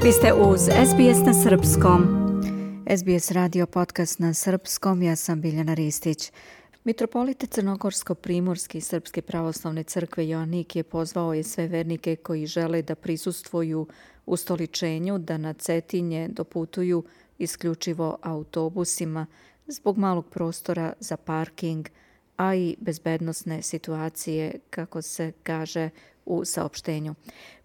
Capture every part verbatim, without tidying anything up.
Vi ste uz S B S na srpskom. S B S radio podcast na srpskom, ja sam Biljana Ristić. Mitropolita Crnogorsko-primorski Srpske pravoslavne crkve Joanikije pozvao je sve vernike koji žele da prisustvuju ustoličenju da na Cetinje doputuju isključivo autobusima zbog malog prostora za parking, a i bezbednosne situacije, kako se kaže u saopštenju.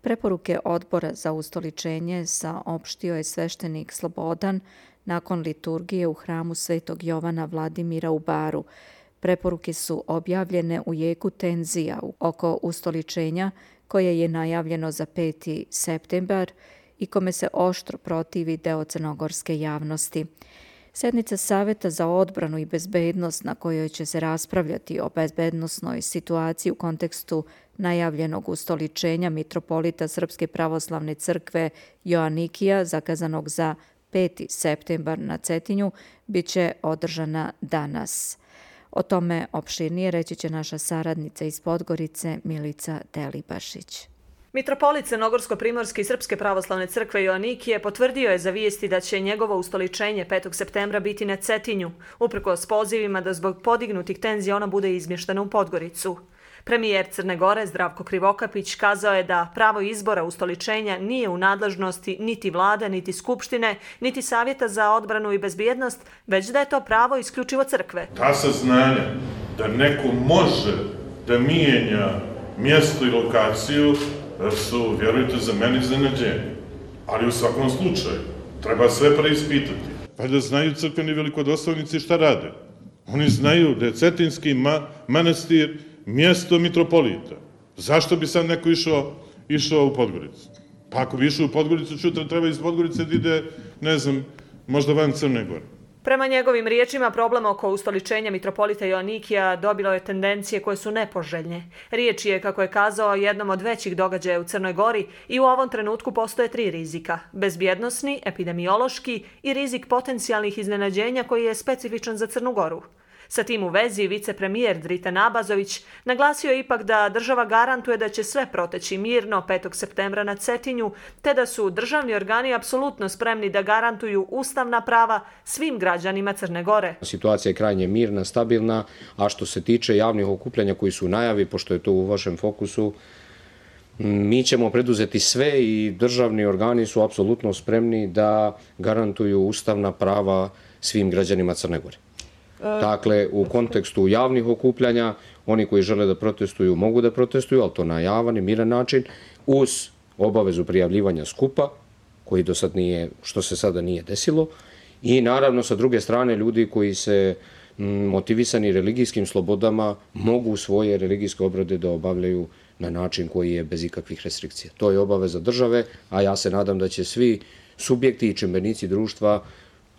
Preporuke odbora za ustoličenje saopštio je sveštenik Slobodan nakon liturgije u hramu Svetog Jovana Vladimira u Baru. Preporuke su objavljene u jeku tenzija oko ustoličenja koje je najavljeno za peti septembar i kome se oštro protivi deo crnogorske javnosti. Sednica Saveta za odbranu i bezbednost na kojoj će se raspravljati o bezbednosnoj situaciji u kontekstu najavljenog ustoličenja mitropolita Srpske pravoslavne crkve Joanikija, zakazanog za peti septembar na Cetinju, bit će održana danas. O tome opširnije reći će naša saradnica iz Podgorice Milica Delibašić. Mitropolit Crnogorsko-primorski Srpske pravoslavne crkve Joanikije potvrdio je za vijesti da će njegovo ustoličenje petog septembra biti na Cetinju, uprkos pozivima da zbog podignutih tenzija ona bude izmještena u Podgoricu. Premijer Crne Gore Zdravko Krivokapić kazao je da pravo izbora ustoličenja nije u nadležnosti niti vlade, niti skupštine, niti Savjeta za odbranu i bezbjednost, već da je to pravo isključivo crkve. Ta saznanja da neko može da mijenja mjesto i lokaciju su, vjerujte, za mene iznenađenje. Ali u svakom slučaju treba sve preispitati. Pa da znaju crkveni velikodostojnici šta rade. Oni znaju da je Cetinski ma- manastir mjesto mitropolita. Zašto bi sad neko išao, išao u Podgoricu? Pa ako bi išao u Podgoricu, čutra treba iz Podgorice da ide, ne znam, možda van Crne Gore. Prema njegovim riječima, problem oko ustoličenja mitropolita Joanikija dobilo je tendencije koje su nepoželjne. Riječ je, kako je kazao, jednom od većih događaja u Crnoj Gori i u ovom trenutku postoje tri rizika. Bezbjednosni, epidemiološki i rizik potencijalnih iznenađenja koji je specifičan za Crnu Goru. Sa tim u vezi, vicepremijer Dritan Abazović naglasio je ipak da država garantuje da će sve proteći mirno petog septembra na Cetinju, te da su državni organi apsolutno spremni da garantuju ustavna prava svim građanima Crne Gore. Situacija je krajnje mirna, stabilna, a što se tiče javnih okupljanja koji su u najavi, pošto je to u vašem fokusu, mi ćemo preduzeti sve i državni organi su apsolutno spremni da garantuju ustavna prava svim građanima Crne Gore. Dakle, u kontekstu javnih okupljanja, oni koji žele da protestuju mogu da protestuju, ali to na javan i miran način, uz obavezu prijavljivanja skupa, koji do sad nije, što se sada nije desilo, i naravno sa druge strane ljudi koji se motivisani religijskim slobodama mogu svoje religijske obrede da obavljaju na način koji je bez ikakvih restrikcija. To je obaveza države, a ja se nadam da će svi subjekti i čimbenici društva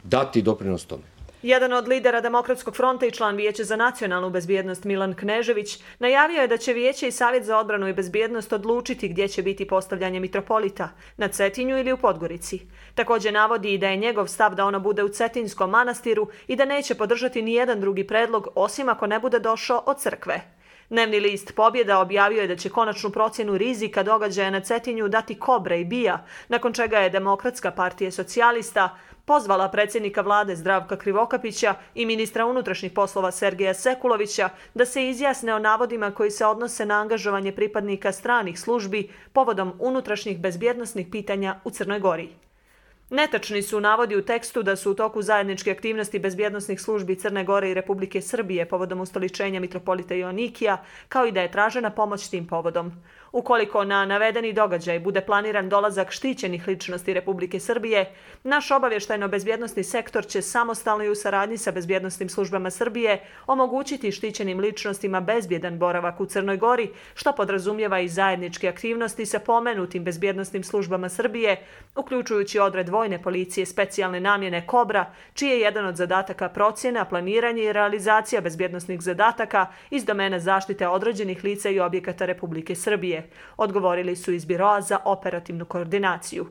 dati doprinos tome. Jedan od lidera Demokratskog fronta i član Vijeća za nacionalnu bezbjednost Milan Knežević najavio je da će Vijeće i Savjet za odbranu i bezbjednost odlučiti gdje će biti postavljanje mitropolita, na Cetinju ili u Podgorici. Također navodi i da je njegov stav da ono bude u Cetinskom manastiru i da neće podržati ni jedan drugi predlog osim ako ne bude došao od crkve. Dnevni list Pobjeda objavio je da će konačnu procjenu rizika događaja na Cetinju dati Kobre i Bija, nakon čega je Demokratska partija socijalista pozvala predsjednika vlade Zdravka Krivokapića i ministra unutrašnjih poslova Sergeja Sekulovića da se izjasne o navodima koji se odnose na angažovanje pripadnika stranih službi povodom unutrašnjih bezbjednosnih pitanja u Crnoj Gori. Netačni su navodi u tekstu da su u toku zajedničke aktivnosti bezbjednosnih službi Crne Gore i Republike Srbije povodom ustoličenja mitropolita Joanikija, kao i da je tražena pomoć tim povodom. Ukoliko na navedeni događaj bude planiran dolazak štićenih ličnosti Republike Srbije, naš obavještajno-bezbjednosni sektor će samostalno i u saradnji sa bezbjednosnim službama Srbije omogućiti štićenim ličnostima bezbjedan boravak u Crnoj Gori, što podrazumijeva i zajedničke aktivnosti sa pomenutim bezbjednosnim službama Srbije, uključujući odred vojne policije specijalne namjene Kobra, čiji je jedan od zadataka procjena, planiranje i realizacija bezbjednosnih zadataka iz domena zaštite određenih lica i objekata Republike Srbije, odgovorili su iz Biroa za operativnu koordinaciju.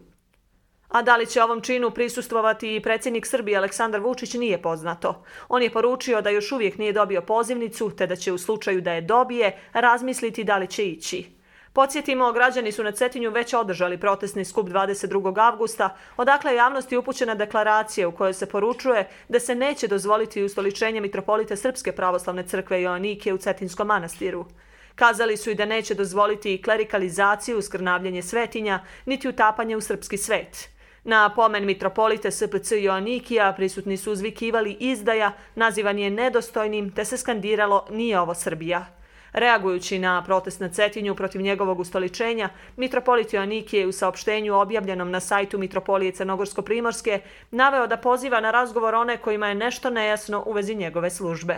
A da li će ovom činu prisustvovati i predsjednik Srbije Aleksandar Vučić nije poznato. On je poručio da još uvijek nije dobio pozivnicu, te da će u slučaju da je dobije razmisliti da li će ići. Podsjetimo, građani su na Cetinju već održali protestni skup dvadeset drugog avgusta, odakle je javnosti upućena deklaracija u kojoj se poručuje da se neće dozvoliti ustoličenje mitropolita Srpske pravoslavne crkve Joanikije u Cetinskom manastiru. Kazali su i da neće dozvoliti klerikalizaciju, skrnavljanje svetinja, niti utapanje u srpski svet. Na pomen mitropolite S P C Joanikija prisutni su uzvikivali izdaja, nazivan je nedostojnim, te se skandiralo nije ovo Srbija. Reagujući na protest na Cetinju protiv njegovog ustoličenja, mitropolit Joanikije je u saopštenju objavljenom na sajtu Mitropolije Crnogorsko-Primorske naveo da poziva na razgovor one kojima je nešto nejasno u vezi njegove službe.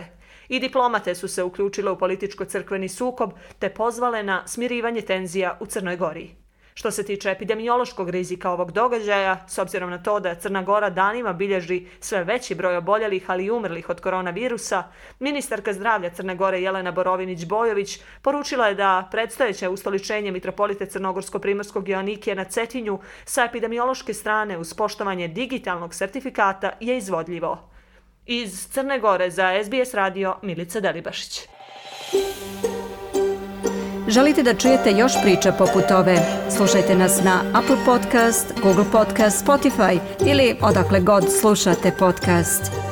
I diplomate su se uključile u političko-crkveni sukob te pozvale na smirivanje tenzija u Crnoj Gori. Što se tiče epidemiološkog rizika ovog događaja, s obzirom na to da Crna Gora danima bilježi sve veći broj oboljelih, ali i umrlih od koronavirusa, ministarka zdravlja Crne Gore Jelena Borovinić-Bojović poručila je da predstojeće ustoličenje mitropolite Crnogorsko-Primorskog Joanikija na Cetinju sa epidemiološke strane uz poštovanje digitalnog sertifikata je izvodljivo. Iz Crne Gore za S B S radio Milica Delibašić. Želite da čujete još priča poput ove? Slušajte nas na Apple Podcast, Google Podcast, Spotify ili odakle god slušate podcast.